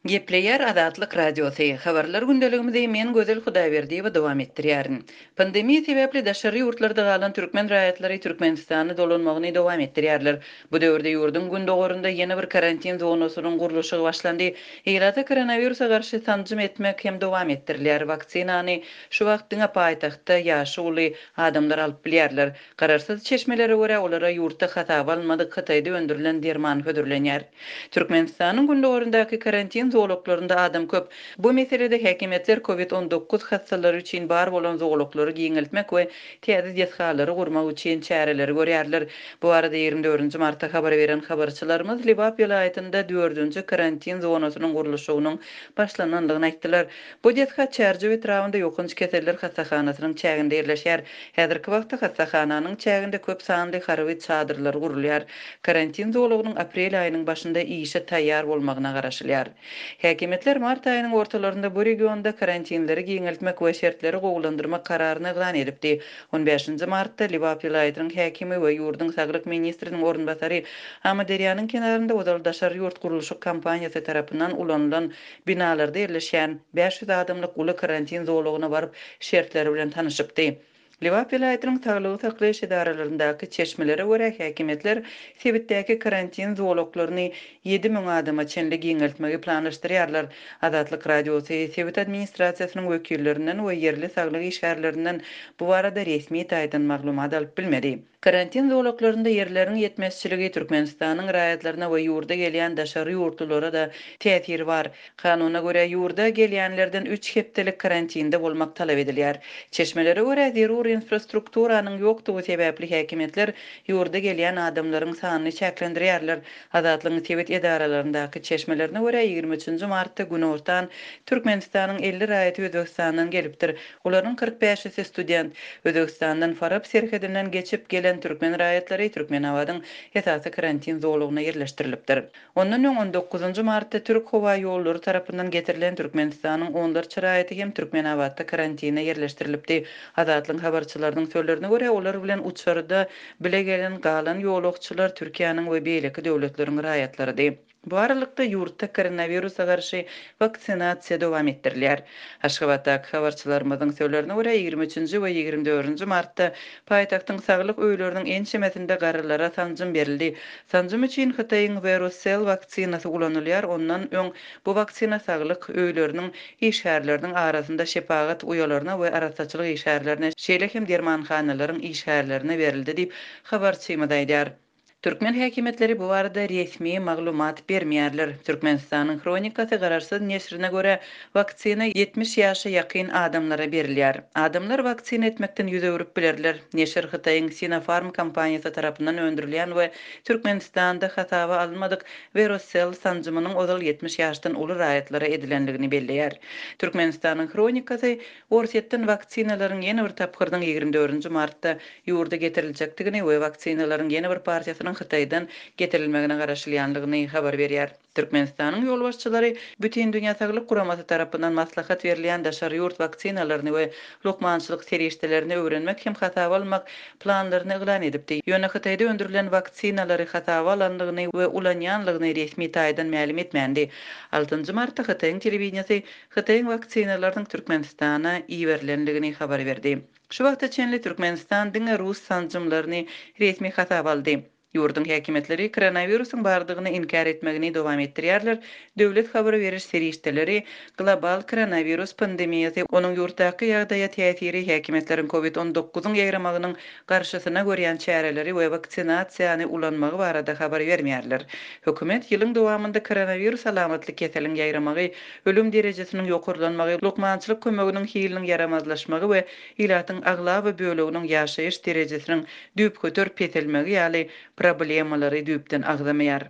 Gepleýär Azatlyk Radiosy, Habarlar gündeligimizi men Gözel Hudaýberdiýewa dowam etdirýärin. Pandemiýa sebäpli daşary ýurtlarda galan türkmen raýatlary Türkmenistana dolanmagyny dowam etdirýärler. Bu döwürde ýurduň gündogarynda ýene bir karantin zonasynyň gurluşygy başlandy. Ilata koronawirusa garşy sanjym etmek hem dowam etdirilýär. Waksinany şu wagt diňe paýtagtda ýaşy uly adamlar alyp bilýärler. Garaşsyz çeşmelere görä, olara ýurtda hasaba alynmadyk Hytaýda öndürilen derman hödürlenýär. Türkmenistanyň gündogaryndaky karantin zolaklarynda adam köp. Bu meselede häkimiýetler Covid 19 hassalary üçin bar bolan zolaklary giňeltmek we täze desgalary gurmak üçin çäreleri görýärler. Bu barada 24 nji martda habar beren habarçylarymyz Lebap welaýatynda dördünji karantin zonasynyň gurluşygynyň başlanandygyny aýtdylar. Bu desga Çärjew etrabynda ýokanç keseller hassahanasynyň çäginde ýerleşýär. Häzirki wagtda hassahananyň çäginde köp sanly harby çadyrlar gurulýar. Karantin zolagynyň aprel aýynyň başynda işe taýýar bolmagyna garaşylýar. Häkimiýetler mart aýynyň ortalarynda bu regionda karantinleri giňeltmek we şertleri gowulandyrmak kararyny yglan edipdi. On bäşinji martda Lebap welaýatynyň häkimi we ýurduň saglyk ministriniň orunbasary Amyderýanyň kenarynda ozal daşary ýurt gurluşyk kompaniýasy tarapyndan ulanylan binalarda ýerleşýän 500 adamlyk uly karantin zolagyna baryp, şertleri bilen tanyşypdy. Lebap welaýatynyň saglygy saklaýyş edaralaryndaky çeşmelere görä, häkimiýetler sebitdäki karantin zolaklaryny 7000 adama çenli giňeltmegi planlaşdyrýarlar. Azatlyk Radiosy sebit administrasiýasynyň wekillerinden we ýerli saglyk işgärlerinden bu barada resmi taýdan maglumat alyp bilmedi. Karantin zolaklarynda ýerleriň ýetmezçiligi Türkmenistanyň raýatlaryna we ýurda gelýän daşary ýurtlulara-da täsiri bar. Kanuna görä, ýurda gelýänlerden üç hepdelik karantinde bolmak talap edilýär. Çeşmelere görä, zerur infrastrukturanyň ýokdugy sebäpli häkimiýetler ýurda gelýän adamlaryň sanyny çäklendirýärler. Azatlygyň sebit edaralaryndaky çeşmelerine görä, 23 nji martda günortan Türkmenistanyň 50 raýaty Özbegistandan gelipdir. Olaryň 40 bäşisi student. Özbegistandan Farap serhedinden geçip gelen türkmen raýatlary Türkmenabadyň esasy karantin zolagyna ýerleşdirilipdir. Ondan öň on dokuzynjy martda Türk howa ýollary tarapyndan getirilen Türkmenistanyň onlarça raýaty hem Türkmenabatda karantine ýerleşdirilipdi. Azatlygyň habarçylarynyň sözlerine görä, olar bilen uçarda bile gelen galan ýolagçylar Türkiýäniň we beýleki döwletleriň raýatlarydy. Bu aralykda, ýurtda koronawirusa garşy waksinasiýa dowam etdirilýär. Aşgabatdaky habarçylarymyzyň sözlerine görä, 23 nji we 24 nji martda paýtagtyň saglyk öýleriniň ençemesinde garrylara sanjym berildi. Sanjym üçin Hytaýyň Verocell waksinasy ulanylýar, ondan öň bu waksina saglyk öýleriniň işgärleriniň arasynda şepagat uýalaryna we arassaçylyk işgärlerine, şeýle hem dermanhanalaryň işgärlerine berildi diýip, habarçymyz aýdýar. Türkmen häkimiýetleri bu barada resmi maglumat bermeýärler. Türkmenistanyň Hronikasy garaşsyz neşirine görä, waksina 70 ýaşa ýakyn adamlara berilýär. Adamlar waksina etmekden ýüz öwrüp bilerler. Neşir Hytaýyň Sinopharm kompaniýasy tarapyndan öndürilýän we Türkmenistanda hasaba alynmadyk Verocell sanjymynyň ozal 70 ýaşdan uly raýatlara edilendigini belleýär. Türkmenistanyň Hronikasy Orsýetden waksinalaryň ýene bir tapgyrynyň 24 nji martda ýurda getiriljekdigini we waksinalaryň ýene bir partiýasynyň Hytaýdan getirilmegine garaşylýandygyny habar berýär. Türkmenistanyň ýolbaşçylary Bütindünýä Saglyk Guramasy tarapyndan maslahat berilýän daşary ýurt waksinalaryny we lukmançylyk serişdelerini öwrenmek hem hasaba almak planlaryny yglan edipdi. Ýöne Hytaýda öndürilen waksinalary hasaba alandygyny we ulanýanlygyny resmi taýdan mälim etmändi. Altynjy martda Hytaýyň telewideniýesi Hytaýyň waksinalarynyň Türkmenistana iberilendigini habar berdi. Şu wagta çenli Türkmenistan diňe rus sanjymlaryny resmi hasaba aldy. Ýurduň häkimiýetleri koronawirusyň bardygyny inkär etmegini dowam etdirýärler, döwlet habar beriş serişdeleri global koronawirus pandemiýasy, onuň ýurtdaky ýagdaýa täsiri, häkimiýetleriň covid 19-yň ýaýramagynyň garşysyna görýän çäreleri we waksinasiýany ulanmagy barada habar bermeýärler. Hökümet ýylyň dowamynda koronawirus alamatly keseliň ýaýramagy, ölüm derejesiniň ýokarlanmagy, lukmançylyk kömeginiň hiliniň ýaramazlaşmagy we ilatyň aglaba böleginiň ýaşaýyş derejesiniň düýpgöter peselmegi ýaly problemalary düýpden agzamaýar.